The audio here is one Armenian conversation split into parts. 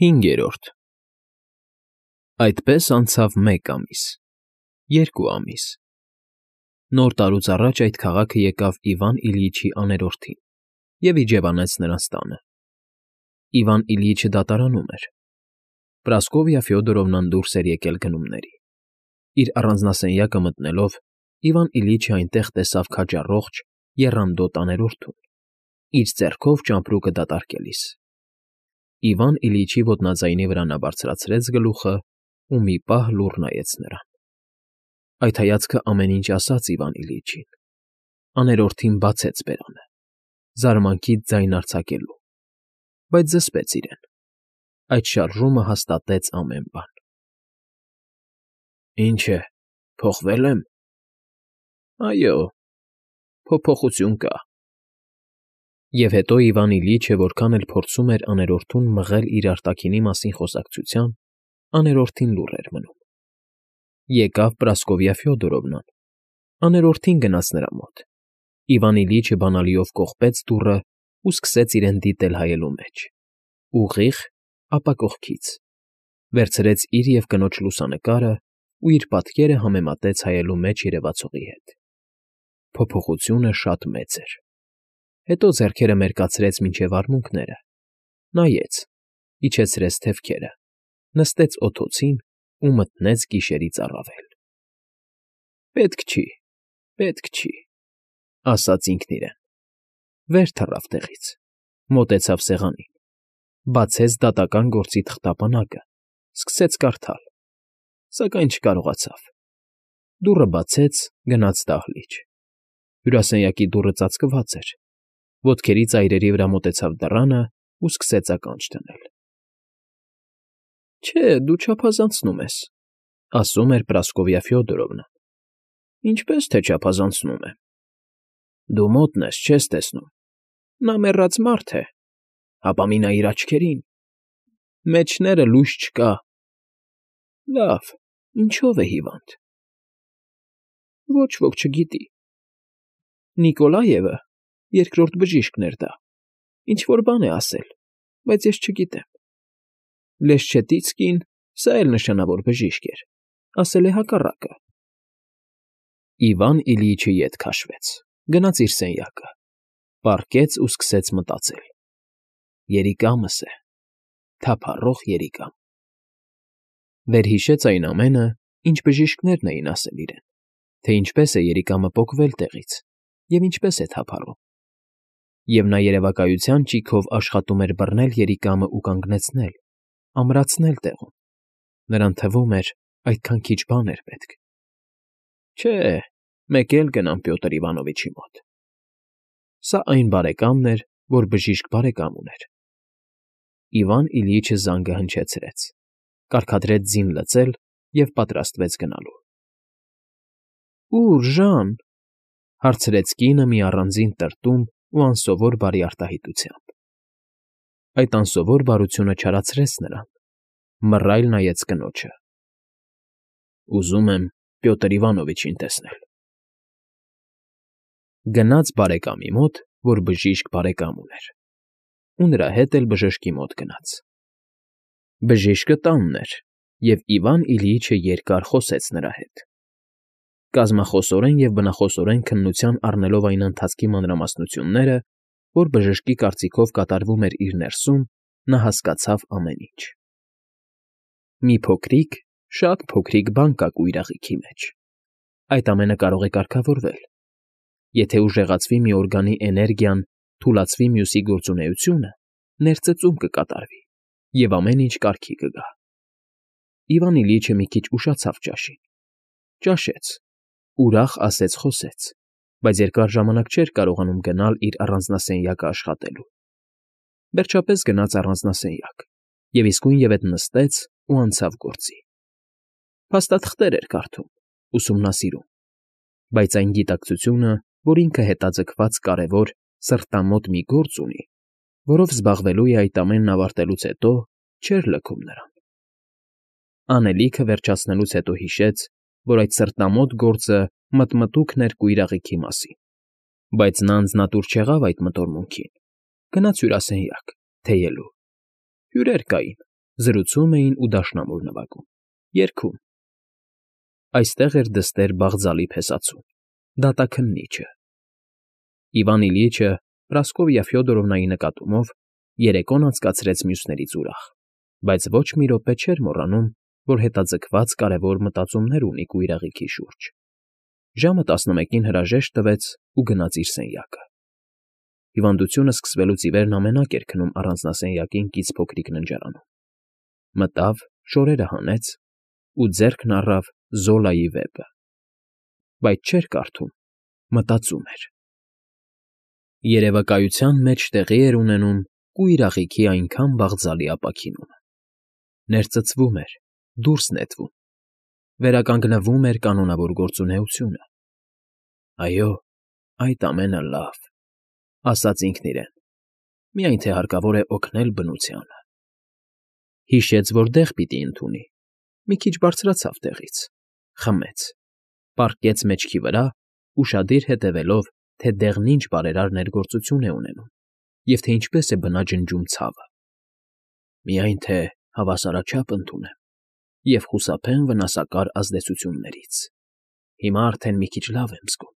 5. Այդպես անցավ 1 ամիս, 2 ամիս. Նոր տարուց առաջ այդ քաղաքը եկավ Իվան Իլյիչի աներորդին և իջևանեց նրանց տանը. Իվան Իլյիչը դատարանում էր. Պրասկովիա Ֆյոդորովնան դուրս էր եկել գնումների. իր առանձնասենյակը մտնելով, Իվան Իլյիչը այնտեղ տեսավ քաջառողջ, եռանդոտ աներորդուն, իր ձեռքով ճամպրուկը դատարկելիս. Իվան Իլյիչի ոտնաձայնի վրա նա բարձրացրեց գլուխը ու մի պահ լուռ նայեց նրան. Այդ հայացքը ամեն ինչ ասաց Իվան Իլյիչին. աներորդին բացեց բերանը, զարմանքից ձայն արձակելու, բայց զսպեց իրեն. այդ շարժումը հաստատեց ամեն բան. Ինչ է, փոխվե՞լ եմ։ Այո, փոփոխություն կա։ Եվ հետո Իվան Իլյիչը որքան էլ փորձում էր աներորդուն մղել իր արտաքինի մասին խոսակցության, աներորդին լուռ էր մնում. Եկավ Պրասկովիա Ֆյոդորովնան, աներորդին գնաց նրա մոտ. Իվան Իլյիչը բանալիով կողպեց դուռը ու սկսեց իրեն դիտել հայելու մեջ, ուղիղ, ապա կողքից, վերցրեց իր և կնոջ լուսանկարը ու իր պատկերը համեմատեց հայելու մեջ երևացողի հետ. փոփոխությունը շատ մեծ էր. հետո ձեռքերը մերկացրեց մինչև արմունկները, նայեց, իջեցրեց թևքերը, նստեց օդոցին ու մտնեց գիշերից առավել։ Պետք չի, ասաց ինքն իրեն, վեր թռավ տեղից, մոտեցավ սեղանին, բացեց դատական գործի թղթապանակը, սկսեց կարդալ, սակայն չկարողացավ։ Դուռը բացեց, գնաց դահլիճ. հյուրասենյակի դուռը ծածկված էր, ոտքերի ծայրերի վրա մոտեցավ դռանը ու սկսեց ականջ դնել։ Չէ, դու չափազանցնում ես, ասում էր Պրասկովիա Ֆյոդորովնան։ Ինչպես թե չափազանցնում եմ։ Դու մոտն ես, չես տեսնում։ Նա մեռած մարդ է, հապա մի նայ իր աչքերին, մեջները լույս չկա։ Լավ, ինչո՞վ է հիվանդ։ Ոչ ոք չգիտի։ Նիկոլաևը, երկրորդ բժիշկն էր դա, ինչ֊որ բան է ասել, բայց ես չգիտեմ։ Լեշչետիցկին, սա էլ նշանավոր բժիշկ էր, ասել է հակառակը։ Իվան Իլյիչը ետ քաշվեց, գնաց իր սենյակը, պառկեց ու սկսեց մտածել. երիկամս է, թափառող երիկամ։ Վերհիշեց այն ամենը, ինչ բժիշկներն էին ասել իրեն, թե ինչպես է երիկամը պոկվել տեղից և ինչպես է թափառում։ Եվ նա երևակայության ճիգով աշխատում էր բռնել երիկամը ու կանգնեցնել, ամրացնել տեղում. նրան թվում էր, այդքան քիչ բան էր պետք։ Չէ, մեկ էլ գնամ Պյոտր Իվանովիչի մոտ։ Սա այն բարեկամն էր, որ բժիշկ բարեկամ ուներ։ Իվան Իլյիչը զանգը հնչեցրեց, կարգադրեց ձին լցել և պատրաստվեց գնալու։ Ո՞ւր, Ժան, հարցրեց կինը մի առանձին տրտում ու անսովոր բարի արտահայտությամբ։ Այդ անսովոր բարությունը չարացրեց նրան, մռայլ նայեց կնոջը։ Ուզում եմ Պյոտր Իվանովիչին տեսնել։ Գնաց բարեկամի մոտ, որ բժիշկ բարեկամ ուներ, ու նրա հետ էլ բժշկի մոտ գնաց։ Բժիշկը տանն էր, և Իվան Իլյիչը երկար խոսեց նրա հետ։ Կազմախոսորեն և բնախոսորեն քննության առնելով այն ընթացքի մանրամասնությունները, որ բժշկի կարծիքով կատարվում էր իր ներսում, նա հասկացավ ամեն ինչ։ Մի փոքրիկ, շատ փոքրիկ բան կա կույրաղիքի մեջ։ Այդ ամենը կարող է կարգավորվել։ Եթե ուժեղացվի մի օրգանի էներգիան, թուլացվի մյուսի գործունեությունը, ներծծում կկատարվի, և ամեն ինչ կարգի կգա։ Իվան Իլյիչը մի քիչ ուշացավ ճաշին։ Ճաշեց, ուրախ ասեց֊խոսեց, բայց երկար ժամանակ չէր կարողանում գնալ իր առանձնասենյակը աշխատելու։ Վերջապես գնաց առանձնասենյակ և իսկույնևեթ նստեց ու անցավ գործի։ Փաստաթղթեր էր կարդում, ուսումնասիրում, բայց այն գիտակցությունը, որ ինքը հետաձգված կարևոր, սրտամոտ մի գործ ունի, որով զբաղվելու է այդ ամենն ավարտելուց հետո, չէր լքում նրան։ Անելիքը վերջացնելուց հետո հիշեց, որ այդ սրտամոտ գործը մտմտուքն էր կույրաղիքի մասին, բայց նա անձնատուր չեղավ այդ մտորմունքին, գնաց հյուրասենյակ, թեյելու։ Հյուրեր կային, Զրուցում էին ու դաշնամուր նվագում, երգում։ Այստեղ էր դստեր Բաղձալի փեսացուն, դատաքննիչը։ Իվան Իլյիչը Պրասկովյա Ֆյոդորովնայի նկատմամբ երեկոն անցկացրեց մյուսներից ուրախ, բայց ոչ մի րոպե չէր մոռանում, որ հետաձգված կարևոր մտածումներ ունի կույրաղիքի շուրջ։ Ժամը 11-ին հրաժեշտ տվեց ու գնաց իր սենյակը։ Հիվանդությունը սկսվելուց ի վեր նա մենակ էր քնում առանձնասենյակին կից փոքրիկ ննջարանում։ Մտավ, շորերը հանեց ու ձեռքն առավ Զոլայի վեպը։ Բայց չէր կարդում, մտածում էր։ Երևակայության մեջ տեղի էր ունենում կույրաղիքի այնքան բաղձալի ապաքինումը։ Ներծծվում էր, դուրս նետվում, վերականգնվում էր կանոնավոր գործունեությունը։ Այո, այդ ամենը լավ, ասաց ինքն իրեն, միայն թե հարկավոր է օգնել բնությանը։ Հիշեց, որ դեղ պիտի ընդունի, մի քիչ բարձրացավ տեղից, խմեց, պառկեց մեջքի վրա, ուշադիր հետևելով, թե դեղն ինչ բարերար ներգործություն է ունենում և թե ինչպես է բնաջնջում ցավը։ Միայն թե հավասարաչափ ընդունեմ և խուսափեմ վնասակար ազդեցություններից։ Հիմա արդեն մի քիչ լավ եմ զգում։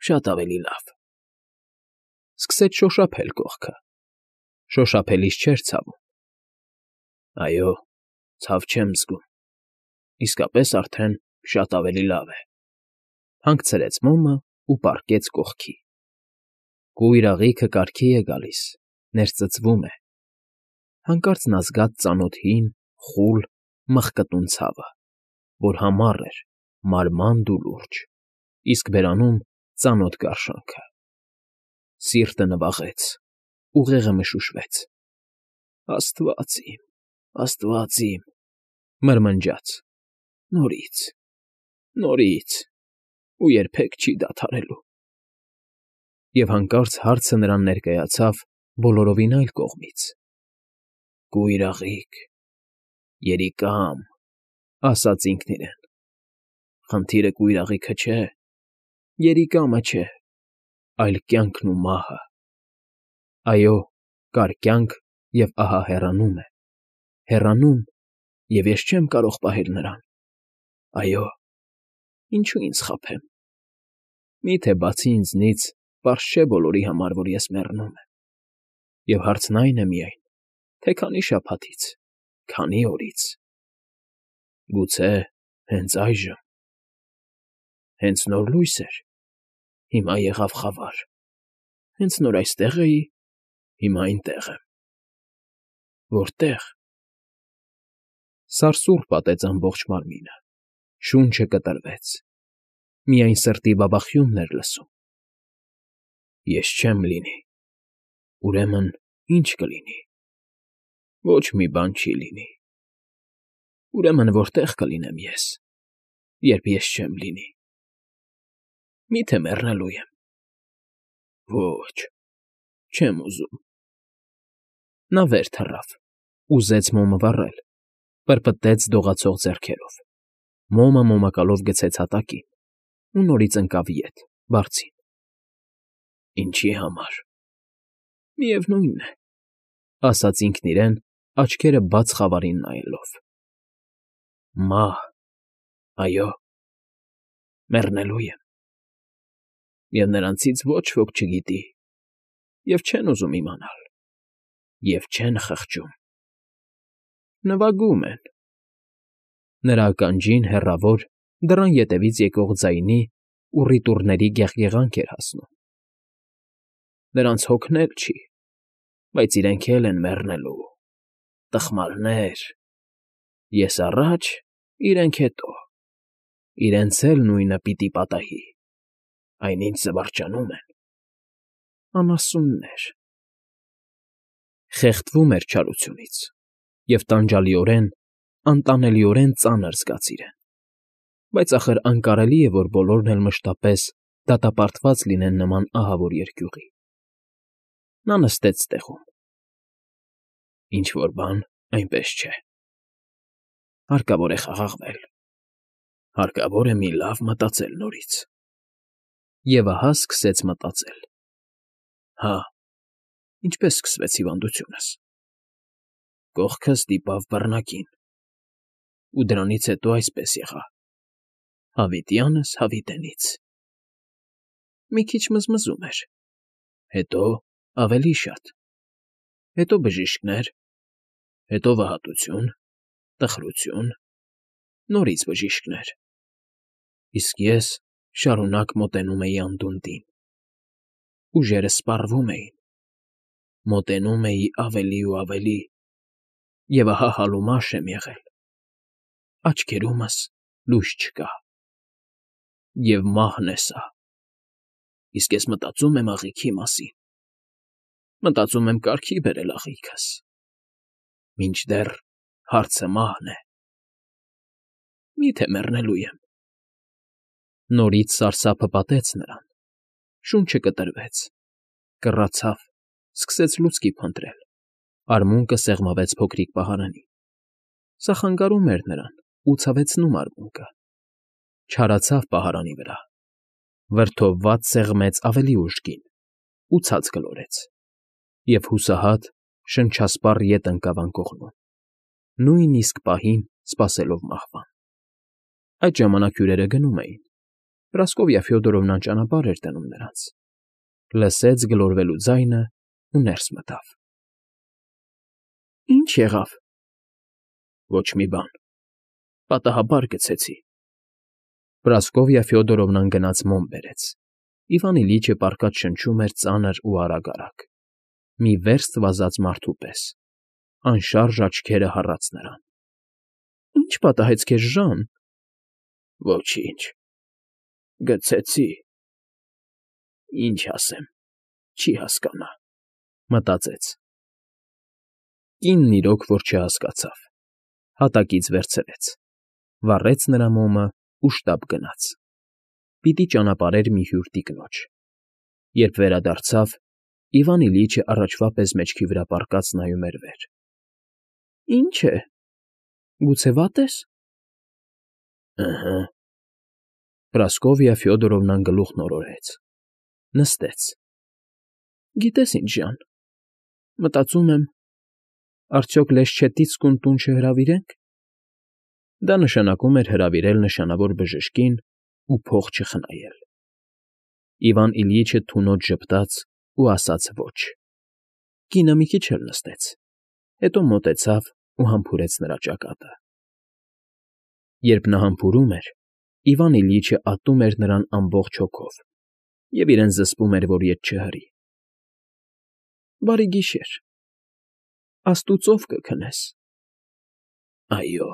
Շատ ավելի լավ։ Սկսեց շոշափել կողքը։ Շոշափելիս չէր ցավում։ Այո, ցավ չեմ զգում։ Իսկապես արդեն շատ ավելի լավ է։ Հանգցրեց մոմը ու պառկեց կողքի։ Կույրաղիքը կարգի է գալիս, ներծծվում է։ Հանկարծ նա զգաց ծանոթ հին, խուլ, մխկտուն ցավը, որ համառ էր, մարմանդ ու լուրջ, իսկ բերանում ծանոթ գարշանքը։ Սիրտը նվաղեց, ուղեղը մշուշվեց։ Աստված իմ, մրմնջաց, նորից, ու երբեք չի դադարելու։ Եվ հանկարծ հարցը նրան ներկայացավ բոլորովին այլ կողմից։ Կույրաղիկ, երիկամ, ասաց ինքն իրեն։ Խնդիրը կույրաղիքը չէ, երիկամը չէ, այլ կյանքն ու մահը։ Այո, կար կյանք և ահա հեռանում է, հեռանում, և ես չեմ կարող պահել նրան։ Այո, ինչո՞ւ ինձ խաբեմ։ Մի՞թե բացի ինձնից պարզ չէ բոլորի համար, որ ես մեռնում եմ։ Եվ հարցն այն է միայն, թե քանի շաբաթից, քանի օրից։ Գուցե հենց այժմ։ Հենց նոր լույս էր, հիմա եղավ խավար։ Հենց նոր այստեղ էի, հիմա այնտեղ եմ։ Որտե՞ղ։ Սարսուռ պատեց ամբողջ մարմինը, շունչը կտրվեց, միայն սրտի բաբախյունն էր լսում։ Ես չեմ լինի, ուրեմն ի՞նչ կլինի։ Ոչ մի բան չի լինի։ Ուրեմն որտե՞ղ կլինեմ ես, երբ ես չեմ լինի։ Մի՞թե մեռնելու եմ։ Ոչ, չեմ ուզում։ Նա վեր թռավ, ուզեց մոմը վառել, պրպտեց դողացող ձեռքերով, մոմը մոմակալով գցեց հատակին ու նորից ընկավ ետ, բարձին։ Ինչի համար։ Միևնույն է, ասաց ինքն իրեն, աչքերը բաց խավարին նայելով։ Մահ, այո, մեռնելու եմ։ Եվ նրանցից ոչ ոք չգիտի, և չեն ուզում իմանալ, և չեն խղճում։ Նվագում են։ Նրա ականջին հեռավոր, դռան ետևից եկող ձայնի ու ռիթուռների գեղգեղանք էր հասնում։ Նրանց հոգն էլ չի, բայց իրենք էլ են մեռնելու, տխմարներ։ Ես առաջ, իրենք հետո, իրենց էլ նույնը պիտի պատահի, այնինչ զվարճանում են։ Անասուններ։ Խեղդվում էր չարությունից և տանջալիորեն, անտանելիորեն ծանր զգաց իրեն։ Բայց ախր անկարելի է, որ բոլորն էլ մշտապես դատապարտված լինեն նման ահավոր երկյուղի։ Նա նստեց տեղում։ Ինչ֊որ բան այնպես չէ։ Հարկավոր է խաղաղվել։ Հարկավոր է մի լավ մտածել նորից։ Եվ ահա սկսեց մտածել. հա, ինչպես սկսվեց հիվանդությունս։ Կողքը ստիպավ բռնակին, ու դրանից հետո այսպես եղա. հավիտյանս հավիտենից։ Մի քիչ մզմզում էր, հետո ավելի շատ, հետո բժիշկներ, հետո վհատություն, տխրություն, նորից բժիշկներ, իսկ ես շարունակ մոտենում էի անդունդին։ Ուժերս սպառվում էին, մոտենում էի ավելի ու ավելի, և ահա հալումաշ եմ եղել, աչքերումս լույս չկա, և մահն է սա, իսկ ես մտածում եմ աղիքի մասին, մտածում եմ կարգի բերել աղիքս, մինչդեռ հարցը մահն է, մի՞թե մեռնելու եմ։ Նորից սարսափը պատեց նրան, շունչը կտրվեց, կռացավ, սկսեց լուցկի փնտրել, արմունկը սեղմավեց փոքրիկ պահարանին, սա խանգարում էր նրան ու ցավեցնում արմունկը, չարացավ պահարանի վրա, վրդովված սեղմեց ավելի ուժգին ու ցած գլորեց, և հուսահատ, շնչասպառ ետ ընկավ անկողնում, նույն իսկ պահին սպասելով մահվան։ Այդ ժամանակ հյուրերը գնում էին, Պրասկովյա Ֆյոդորովնան ճանապարհ էր դնում նրանց, լսեց գլորվելու ձայնը ու ներս մտավ։ ֊ Ի՞նչ եղավ։ ֊ Ոչ մի բան, պատահաբար գցեցի։ Պրասկովյա Ֆյոդորովնան գնաց մոմ բերեց, Իվան Իլիչը պառկած շնչում էր ծանր ու արագ, մի վերստ վազած մարդու պես, անշարժ աչքերը հառած նրան։ ֊ Ի՞նչ պատահեց քեզ, Ժան։ ֊ Ոչինչ, գցեցի։ Ինչ ասեմ, չի հասկանա, մտածեց։ Կինն իրոք որ չհասկացավ, հատակից վերցրեց, վառեց նրա մոմը ու շտապ գնաց։ Պիտի ճանապարհեր մի հյուր տիկնոջ։ Երբ վերադարձավ, Իվան Իլիչը առաջվա պես մեջքի վրա պառկած նայում էր վեր։ ֊ Ի՞նչ է, գուցե վատ ես։ ֊ Ըհը։ Պրասկովյա Ֆյոդորովնան գլուխն օրորեց, նստեց։ ֊ Գիտես ինչ, Ժան, մտածում եմ, արդյոք Լեշչետիցկուն տուն չհրավիրե՞նք։ Դա նշանակում էր հրավիրել նշանավոր բժշկին ու փող չխնայել։ Իվան Իլիչը թունոց ժպտաց ու ասաց ոչ։ Կինը մի քիչ էլ նստեց, հետո մոտեցավ ու համբուրեց նրա ճակատը։ Երբ նա համբուրում էր, Իվան Իլիչը ատում էր նրան ամբողջ հոգով և իրեն զսպում էր, որ ետ չհրի։ Բարի գիշեր, աստուծով կքնես։ Այո,